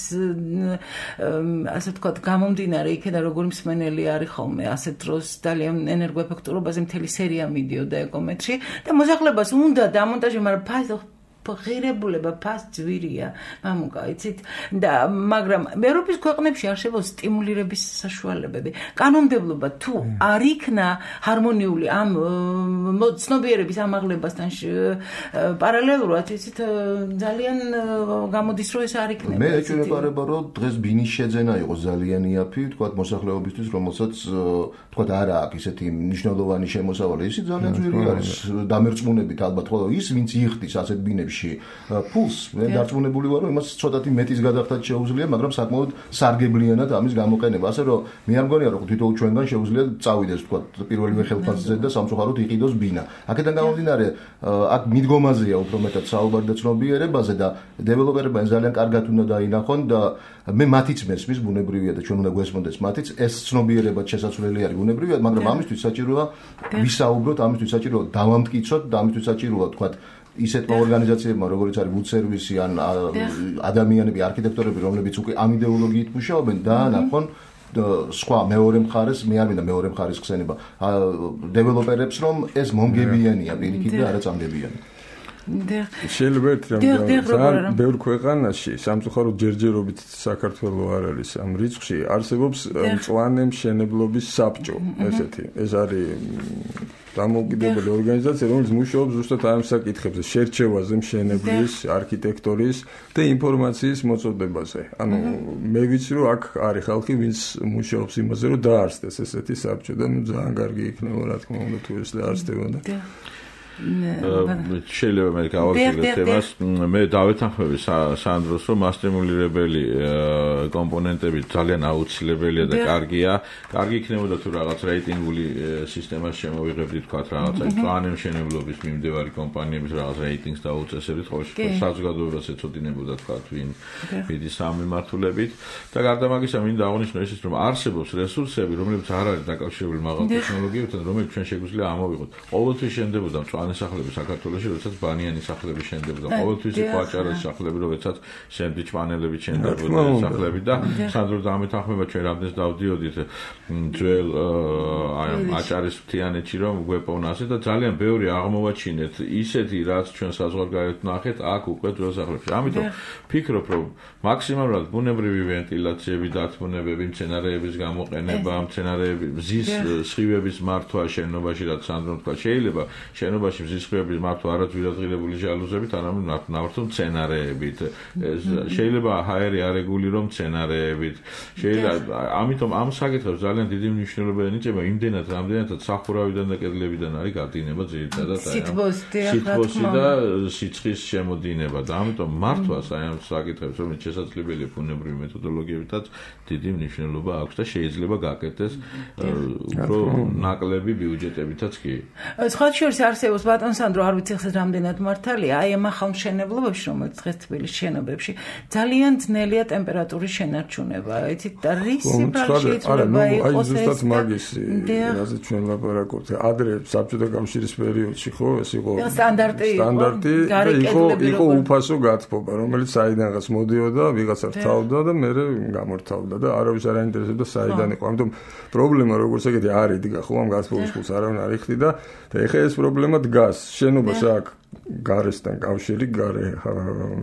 ასე ვთქვათ, გამომდინარე იქიდან როგორი მსმენელი არის ხოლმე, ასეთ დროს ძალიან ენერგოეფექტურობაზე მთელი სერია მიდიოდა ეკომეტრში და მოსახლეობას უნდა დამონტაჟე, მაგრამ ღირებულება ფას ძვირია, მამუკა, იცით? და მაგრამ ევროპის ქვეყნებში არსებობს სტიმულირების საშუალებები. კანონმდებლობა თუ არ იქნა ჰარმონიული ამ ცნობიერების ამაღლებასთან პარალელურად, იცით, ძალიან გამოდის, რომ ეს არ იქნება. მე ეჭვმეპარება, რომ დღეს ბინის შეძენა იყოს ძალიან იაფი, თქვათ მოსახლეობისთვის, რომელსაც თქვათ არა აქვს ისეთი მნიშვნელოვანი შემოსავალი, ისიც ძალიან ძვირი არის დამერწმუნებით ალბათ, ხოლო ის ვინც იხდის ასეთ ბინებში ფულს, მე დარწმუნებული ვარ, რომ იმას ცოტათი მეტის გადახდათ შეუძლია, მაგრამ საკმაოდ სარგებლიანად ამის გამოყენება. ასე რომ მე არ მგონია, რომ თვითონ ჩვენგან შეუძლია წავიდეს, თქვა, პირველივე ხელფასზე და სამწუხაროდ იყიდოს ბინა. აქედან გამომდინარე, აქ მიდგომაზეა უფრო მეტად საუბარი და ცნობიერებაზე და დეველოპერებმა ძალიან კარგად უნდა დაინახონ და მე მათიც მესმის, ბუნებრივია და ჩვენ უნდა გვესმოდეს მათიც, ეს ცნობიერება შესაძლებელი არის ბუნებრივია, მაგრამ ამისთვის საჭიროა ვისაუბროთ, ამისთვის საჭიროა დავამტკიცოთ და ამისთვის საჭიროა, თქვა, ისეთმა ორგანიზაციებმა, როგორც არის ვუცერვისი ან ადამიანები, არქიტექტორები, რომლებიც უკვე ამ იდეოლოგიით მუშაობენ, დაანახონ სხვა მეორე მხარეს, მე არ მინდა მეორე მხარეს ხსენება, დეველოპერებს, რომ ეს მომგებიანია პირიქით და არა წამდებიანი. შეიძლება ერთ რამ ბევრ ქვეყანაში სამწუხაროდ ჯერჯერობით საქართველოს არ არის ამ რიცხვში არსებობს მწვანე მშენებლობის საბჭო ესეთი ეს არის დამოუკიდებელი ორგანიზაცია რომელიც მუშაობს ზუსტად ამ საკითხებზე შერჩევაზე მშენებლის არქიტექტორის და ინფორმაციის მოწოდებაზე ანუ მე ვიცი რომ აქ არის ხალხი ვინც მუშაობს იმაზე რომ დაარსდეს ესეთი საბჭო და ძალიან კარგი იქნება რა თქმა უნდა თუ ეს დაარსდებოდა შეიძლება მე გავაგზავნო თემას მე დავეთანხმები სანდროს რომ მასტიმულირებელი კომპონენტები ძალიან აუცილებელია და კარგია კარგი იქნებოდა თუ რაღაც რეიტინგული სისტემას შემოვიღებდით თქვა რაღაცა მწვანე მშენებლობის მიმდევარი კომპანიების რაღაც რეიტინგს დაუწესებდით ხო საზოგადოებას ეწოდინებოდა თქვა ვინ მიდის ამ მიმართულებით და გარდა მაგისა მინდა აღნიშნო ისიც რომ არსებობს რესურსები რომლებიც არ არის დაკავშირებული მაღალ ტექნოლოგიებთან რომელიც ჩვენ შეგვიძლია ამოვიღოთ ყოველთვის შენდებოდა სახლები საქართველოში, როდესაც ბანიანი სახლები შენდებოდა. ყოველთვის იყო აჭარაში სახლები, როდესაც სენდვიჩ პანელები შენდებოდა სახლები და სანდრო დამეთანხმება ჩვენ რამდენს დავდიოდით ძველ აჭარის მთიანეთში რომ გვეპოვნასე და ძალიან ბევრი აღმოვაჩინეთ ისეთი რაც ჩვენ საზღვარგარეთ ნახეთ აქ უკვე ძველ სახლებში. ამიტომ ფიქრობ რომ მაქსიმალურად ბუნებრივი ვენტილაციები, დათმობები, მცენარეების გამოყენება, მცენარეების მზის სხივების მართვა შენობაში რაც სანდრო თქვა შეიძლება შენობაში შემთხვევაში მზისხმეობის მართვა არაძვირადღირებული ჟალუზებით, არამედ ნავთობ მცენარეებით. შეიძლება ჰაერი არეგულიროს მცენარეებით. შეიძლება ამიტომ ამ საკითხებს ძალიან დიდი მნიშვნელობა ენიჭება იმდენად, რამდენადაც სახურავიდან და კედლებიდან არის გადინება ძირითადად სითბოსი და სიცხის შემოდინება და ამიტომ მართვას აი ამ საკითხებს რომელიც შესაძლებელია ბუნებრივი მეთოდოლოგიებითაც დიდი მნიშვნელობა აქვს და შეიძლება გაკეთდეს უფრო ნაკლები ბიუჯეტებითაც კი. სხვა შორის არსებობს ბატონ სანდრო, არ ვიცი ხსეთ რამდენად მართალია, აი ამ ახალმშენებლობებში, რომელიც დღეს თბილისის შენობებში ძალიან ძნელია ტემპერატურის შენარჩუნება. იცით და რისი პრაქტიკა შეიძლება იყოს ეს? აი ზუსტად მაგისი, რაზე ჩვენ ლაპარაკობთ. ადრე საბჭოთა კავშირის პერიოდში ხო ეს იყო სტანდარტი იყო უფასო გათბობა, რომელიც საიდანღაც მოდიოდა, ვიღაცა რთავდა და მე გამორთავდა და არავის არ აინტერესებდა საიდან იყო. ამიტომ პრობლემა როგორც ეგეთი არ იდგა ხო ამ გათბობის ფულს არავინ არ იხდი და ეხლა ეს პრობლემა დგას. შენობას აქვს გარესთან კავშირი, გარე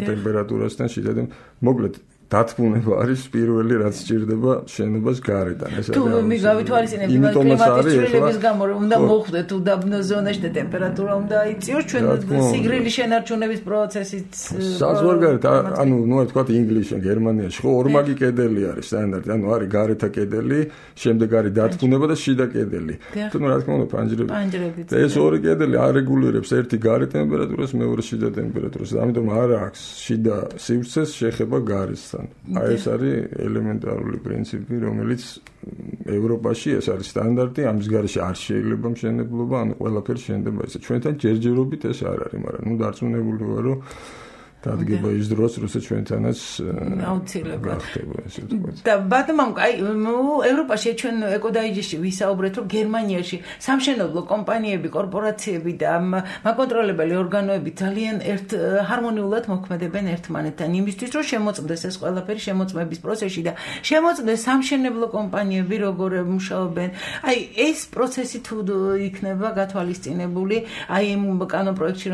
ტემპერატურასთან შეიძლება მოკლედ დათბუნება არის პირველი რაც სჭირდება შენობას გარედან. ეს არის. თუ მიგავითვალისწინებთ კლიმატის ცვლილების გამო რომ უნდა მოხვდეთ უდაბნო ზონაში და ტემპერატურა უნდა აიწიოს, ჩვენ სიგრილის შენარჩუნების პროცესიც საზღვარგარეთ, ანუ ნუ ვთქვათ ინგლისში, გერმანიაში ხო ორმაგი კედელი არის სტანდარტი, ანუ არის გარეთა კედელი, შემდეგ არის დათბუნება და შიდა კედელი. თუმცა რა თქმა უნდა პანჯრები. ეს ორი კედელი არეგულირებს ერთი გარე ტემპერატურას, მეორე შიდა ტემპერატურას. ამიტომ არ აქვს შიდა სივრცეს შეხება გარესთან. აი ეს არის ელემენტარული პრინციპი, რომელიც ევროპაში ეს არის სტანდარტი, ამის გარეშე არ შეიძლება მშენებლობა, ანუ ყველაფერი შენდება ესე. ჩვენთან ჯერჯერობით ეს არ არის, მაგრამ ნუ დარწმუნებული ვარ, რომ დადგება ის დროს, როცა ჩვენთანაც აუცილებლად გახდება ესე ვთქვათ. და ბატონო, აი ევროპაში ჩვენ ეკოდაიჯში ვისაუბრეთ, რომ გერმანიაში სამშენებლო კომპანიები, კორპორაციები და მაკონტროლებელი ორგანოები ძალიან ჰარმონიულად მოქმედებენ ერთმანეთთან იმისთვის, რომ შემოწმდეს ეს ყველაფერი შემოწმების პროცესში და შემოწმდეს სამშენებლო კომპანიები როგორ მუშაობენ. აი ეს პროცესი თუ იქნება გათვალისწინებული, აი იმ კანონპროექტში,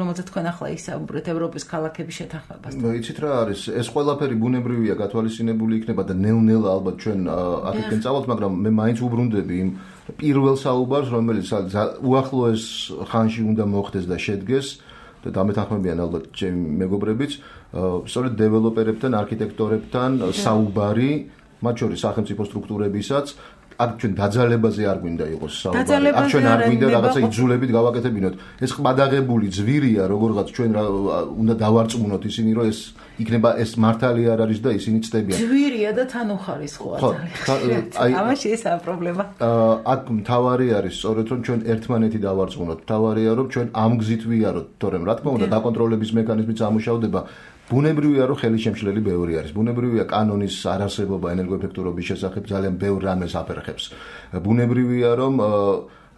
რომელსაც თქვენ ახლა ისაუბრეთ ევროპის ქალაქების შეთანხმებას. იცით რა არის? ეს ყველაფერი ბუნებრივია გათვალისწინებული იქნება და ნელ-ნელა ალბათ ჩვენ აქეთკენ წავალთ, მაგრამ მე მაინც უბრუნდები იმ პირველ საუბარს, რომელიც უახლოეს ხანში უნდა მოხდეს და შედგეს და დამეთანხმებიან ალბათ ჩემი მეგობრებიც, სწორედ დეველოპერებთან, არქიტექტორებთან საუბარი, მათ შორის სახელმწიფო სტრუქტურებისაც აქ ჩვენ დაძალებაზე არ გვინდა იყოს საუბარი. აქ ჩვენ არ გვინდა რაღაცა იძულებით გავაკეთებინოთ. ეს ყბადაღებული ძვირია, როგორღაც ჩვენ უნდა დავარწმუნოთ ისინი, რომ ეს იქნება ეს მართალი არ არის და ისინი ცდებიან. ძვირია და თან უხარისხოა ძალიან. აი ამაში ესაა პრობლემა. აქ მთავარი არის სწორედ რომ ჩვენ ერთმანეთი დავარწმუნოთ. მთავარია რომ ჩვენ ამ გზით ვიაროთ, თორემ რა თქმა უნდა დაკონტროლების მექანიზმიც ამუშავდება. ბუნებრივია რომ ხელი შემშლელი ბევრი არის. ბუნებრივია კანონის არარსებობა ენერგოეფექტურობის შესახებ ძალიან ბევრ რამეს აფერხებს. ბუნებრივია რომ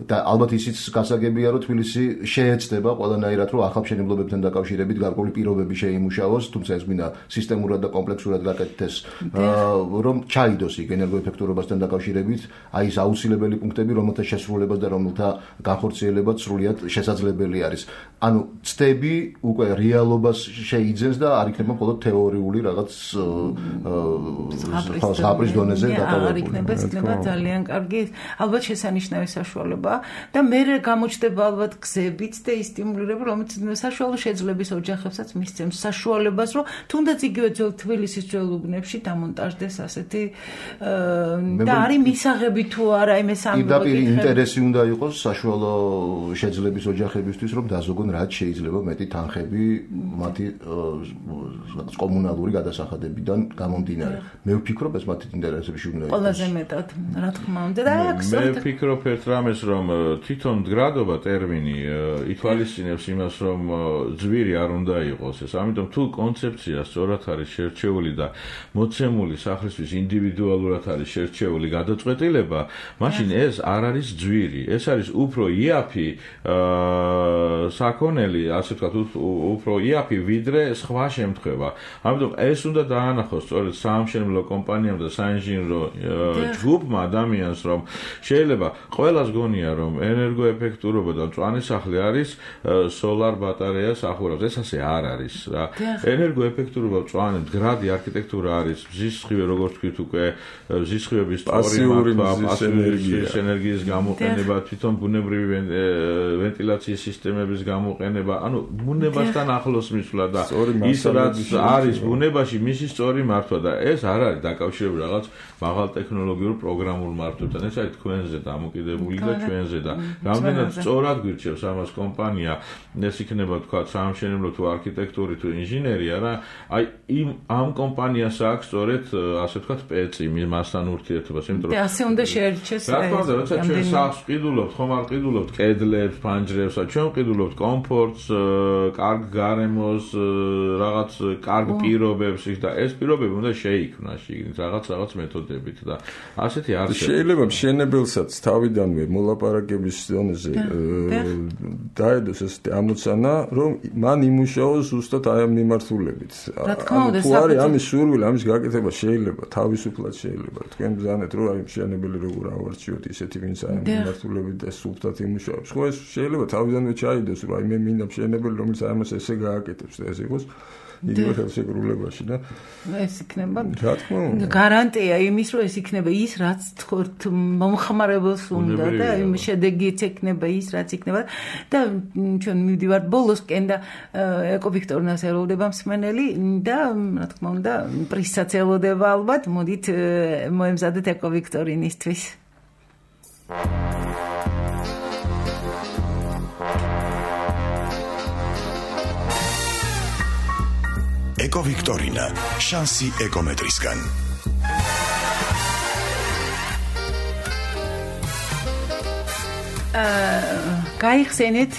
და ალბათ ისიც გასაგებია რომ თბილისი შეეცდება ყველანაირად რომ ახალმშენებლობებთან დაკავშირებით გარკვეული პირობები შეიმუშაოს, თუმცა ეს გვინდა სისტემურად და კომპლექსურად გაკეთდეს, რომ ჩაიდოს იქ ენერგოეფექტურობასთან დაკავშირებით აი ეს აუცილებელი პუნქტები, რომელთა შესრულებას და რომელთა განხორციელებაც სრულიად შესაძლებელი არის. ანუ ცდები უკვე რეალობას შეიძენს და არ იქნება მხოლოდ თეორიული რაღაც ზღაპრის დონეზე დაკავებული. არ იქნება, ეს იქნება ძალიან კარგი, ალბათ შესანიშნავი საშუალება. და მე გამოჩნდება ალბათ გზებიც და ის სტიმულირება, რომელიც საშუალო შეძლების ოჯახებსაც მისცემს საშუალებას, რომ თუნდაც იგივე ძველ თბილისის ძველ უბნებში დამონტაჟდეს ასეთი და არის მისაღები თუ არა იმ ეს ამბობი. პირდაპირ ინტერესი უნდა იყოს საშუალო შეძლების ოჯახებისთვის, რომ დაზოგონ რაც შეიძლება მეტი თანხები მათი კომუნალური გადასახადებიდან გამომდინარე. მე ვფიქრობ ეს მათი ინტერესებში უნდა იყოს. ყველაზე მეტად, რა თქმა უნდა. და მე ვფიქრობ ერთ რამეს რომ თვითონ მდგრადობა ტერმინი ითვალისწინებს იმას, რომ ძვირი არ უნდა იყოს ეს. ამიტომ თუ კონცეფცია სწორად არის შერჩეული და მოცემული სახლისთვის ინდივიდუალურად არის შერჩეული გადაწყვეტილება, მაშინ ეს არ არის ძვირი. ეს არის უფრო იაფი საქონელი, ასე ვთქვათ, უფრო იაფი ვიდრე სხვა შემთხვევა. ამიტომ ეს უნდა დაანახოს სწორედ საამშენებლო კომპანიამ და საინჟინრო ჯგუფმა ადამიანს, რომ შეიძლება ყველას გონია მგონია რომ ენერგოეფექტურობა და მწვანე სახლი არის სოლარ ბატარეას ახურავს. ეს ასე არ არის რა. ენერგოეფექტურობა მწვანე მდგრადი არქიტექტურა არის. მზის სხივე როგორც თქვით უკვე მზის სხივების პასიური მზის ენერგიის გამოყენება, თვითონ ბუნებრივი ვენტილაციის სისტემების გამოყენება, ანუ ბუნებასთან ახლოს მისვლა და ის რაც არის ბუნებაში მისი სწორი მართვა და ეს არ არის დაკავშირებული რაღაც მაღალ ტექნოლოგიურ პროგრამულ მართვებთან. ეს არის თქვენზე დამოკიდებული და ჩვენზე და რამდენად სწორად გვირჩევს ამას კომპანია, ეს იქნება თქვა სამშენებლო თუ არქიტექტური თუ ინჟინერია რა. აი ამ კომპანიას აქვს სწორედ ასე ვთქვათ პეცი მასთან ურთიერთობას, იმიტომ რომ ასე უნდა შეერჩეს. რა თქმა უნდა, როცა ჩვენ სახლს ყიდულობთ, ხომ არ ყიდულობთ კედლებს, ფანჯრებს, ჩვენ ყიდულობთ კომფორტს, კარგ გარემოს, რაღაც კარგ პირობებს და ეს პირობები უნდა შეიქმნა შიგნით რაღაც მეთოდებით და ასეთი არ შეიძლება მშენებელსაც თავიდანვე მოლაპარაკების ზონაზე დაედოს ეს ამოცანა, რომ მან იმუშაოს ზუსტად აი ამ მიმართულებით. თუ არის ამის სურვილი, ამის გაკეთება შეიძლება, თავისუფლად შეიძლება. თქვენ ბრძანეთ, რომ აი მშენებელი როგორ ავარჩიოთ ისეთი, ვინც აი ამ მიმართულებით და სულთად იმუშაობს. ხო ეს შეიძლება თავიდანვე ჩაიდოს, რომ აი მე მინდა მშენებელი, რომელიც აი ამას ესე გააკეთებს და ეს იყოს იგივე ხელშეკრულებაში და ეს იქნება რა თქმა უნდა გარანტია იმის რომ ეს იქნება ის რაც თქორთ მომხმარებელს უნდა და იმ შედეგიც იქნება ის რაც იქნება და ჩვენ მივდივართ ბოლოსკენ და ეკოვიქტორინას ელოდება მსმენელი და რა თქმა უნდა პრიზსაც ელოდება ალბათ მოდით მოემზადეთ ეკოვიქტორინისთვის ეკოვიქტორინა შანსი ეკომეტრისგან გაიხსენეთ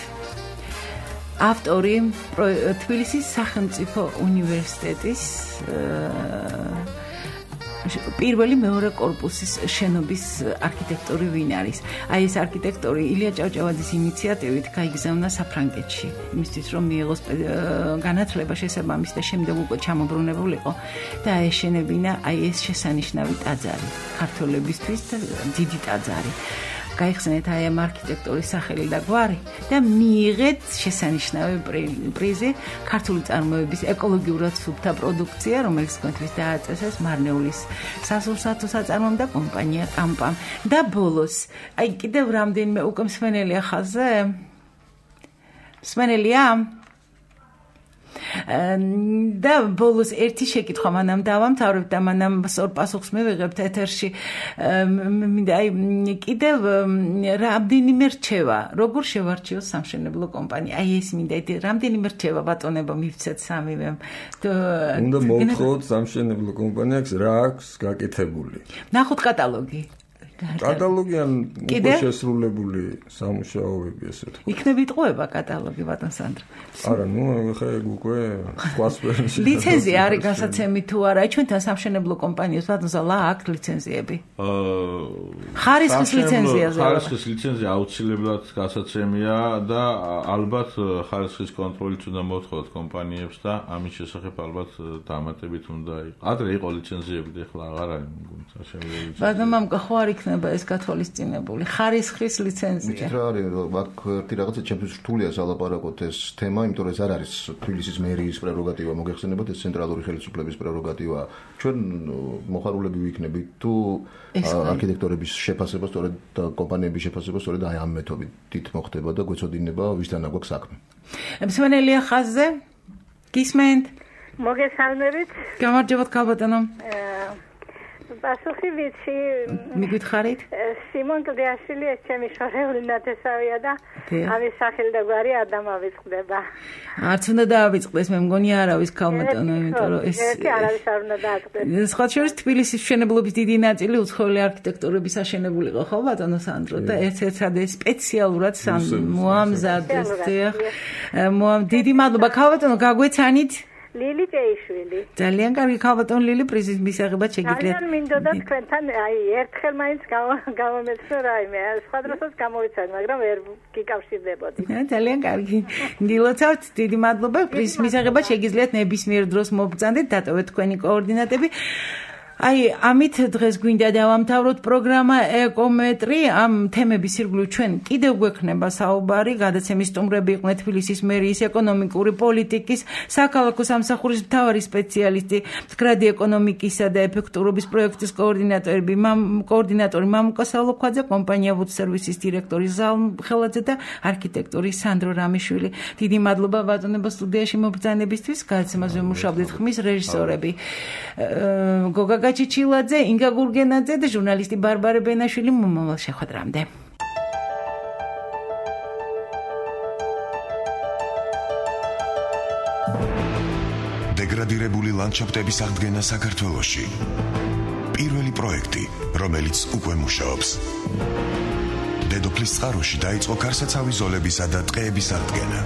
ავტორი თბილისის სახელმწიფო უნივერსიტეტის პირველი მეორე კორპუსის შენობის არქიტექტორი ვინ არის? აი ეს არქიტექტორი ილია ჭავჭავაძის ინიციატივით გაიგზავნა საფრანგეთში, იმისთვის რომ მიიღოს განათლება შესაბამისი და შემდეგ უკვე ჩამობრუნებულიყო და აეშენებინა აი ეს შესანიშნავი ტაძარი ქართველებისთვის და დიდი ტაძარი. გაიხსენეთ აი ამ არქიტექტორის სახელი და გვარი და მიიღეთ შესანიშნავი პრიზი ქართული წარმოების ეკოლოგიურად სუფთა პროდუქცია, რომელიც თქვენთვის დააწესეს მარნეულის სასურსათო საწარმომ და კომპანია კამპამ. და ბოლოს, აი კიდევ რამდენიმე უკვე მსმენელია ხაზზე? მსმენელია? და ბოლოს ერთი შეკითხვა მანამ დავამთავრებ და მანამ სწორ პასუხს მივიღებთ ეთერში. მინდა აი კიდევ რამდენიმე რჩევა, როგორ შევარჩიოს სამშენებლო კომპანია? აი ეს მინდა რამდენიმე რჩევა ბატონებო მივცეთ სამივემ. უნდა მოვთხოვოთ სამშენებლო კომპანიას რა აქვს გაკეთებული. ნახოთ კატალოგი. კატალოგიან უკვე შესრულებული სამუშაოები ესე თქვა. იქნებ იტყუება კატალოგი ბატონ სანდრო. არა, ნუ ხა ეგ უკვე სხვა სფეროში. ლიცენზია არის გასაცემი თუ არა? ჩვენთან სამშენებლო კომპანიას ბატონ ზალა აქვს ლიცენზიები? ხარისხის ლიცენზიაზე. ხარისხის ლიცენზია აუცილებლად გასაცემია და ალბათ ხარისხის კონტროლით უნდა მოთხოვოთ კომპანიებს და ამის შესახებ ალბათ დამატებით უნდა იყოს. ადრე იყო ლიცენზიები და ახლა აღარ არის სამშენებლო. ბატონ მამკა ხო არ იქნება ეს გათვალისწინებული ხარისხის ლიცენზია. ვიცით რა არის, აქ ერთი რაღაცა ჩემთვის რთულია სალაპარაკოთ ეს თემა, იმიტომ რომ ეს არ არის თბილისის მერიის პრეროგატივა, მოგეხსენებათ ეს ცენტრალური ხელისუფლების პრეროგატივა. ჩვენ მოხარულები ვიქნებით თუ არქიტექტორების შეფასება სწორედ და კომპანიების შეფასება სწორედ აი ამ მეთოდით მოხდება და გვეცოდინება ვისთან აგვაქვს საქმე. მსმენელია ხაზზე? გისმენთ? მოგესალმებით. გამარჯობათ ქალბატონო. პასუხი ვიცი. მიგითხარით? სიმონ კლდიაშვილი ეს ჩემი შორეული ნათესავია და ამის სახელი და გვარი არ დამავიწყდება. არც უნდა დაავიწყდეს, მე მგონი არავის ქალბატონო, იმიტომ რომ ეს არავის არ უნდა დაავიწყდეს. სხვა შორის თბილისის მშენებლობის დიდი ნაწილი უცხოელი არქიტექტორების აშენებულიყო, ხო ბატონო სანდრო და ერთ-ერთად სპეციალურად მოამზადეს. დიდი მადლობა ქალბატონო, გაგვეცანით? ლილი ჭეიშვილი. ძალიან კარგი ქალბატონ ლილი პრიზის მისაღებად შეგიძლიათ. ძალიან მინდოდა თქვენთან აი ერთხელ მაინც გამომეცნო რაიმე, სხვა დროსაც გამოვიცან, მაგრამ ვერ გიკავშირდებოდი. ძალიან კარგი. გილოცავთ, დიდი მადლობა პრიზის მისაღებად შეგიძლიათ ნებისმიერ დროს მობრძანდეთ, დატოვეთ თქვენი კოორდინატები. აი, ამით დღეს გვინდა დავამთავროთ პროგრამა ეკომეტრი. ამ თემების ირგვლივ ჩვენ კიდევ გვექნება საუბარი. გადაცემის სტუმრები იყვნენ თბილისის მერიის ეკონომიკური პოლიტიკის საქალაქო სამსახურის მთავარი სპეციალისტი, მდგრადი ეკონომიკისა და ეფექტურობის პროექტის კოორდინატორი მამუკა სალოქვაძე, კომპანია Wood Services დირექტორი ზალ ხელაძე და არქიტექტორი სანდრო რამიშვილი. დიდი მადლობა ბატონებო სტუდიაში მობრძანებისთვის. გადაცემაზე მუშაობდით ხმის რეჟისორები გოგა გაჩიჩილაძე, ინგა გურგენაძე და ჟურნალისტი ბარბარე ბენაშვილი. მომავალ შეხვედრამდე. დეგრადირებული ლანდშაფტების აღდგენა საქართველოში. პირველი პროექტი, რომელიც უკვე მუშაობს. დედოფლის წყაროში დაიწყო გარსაცავი ზოლებისა და ტყეების აღდგენა.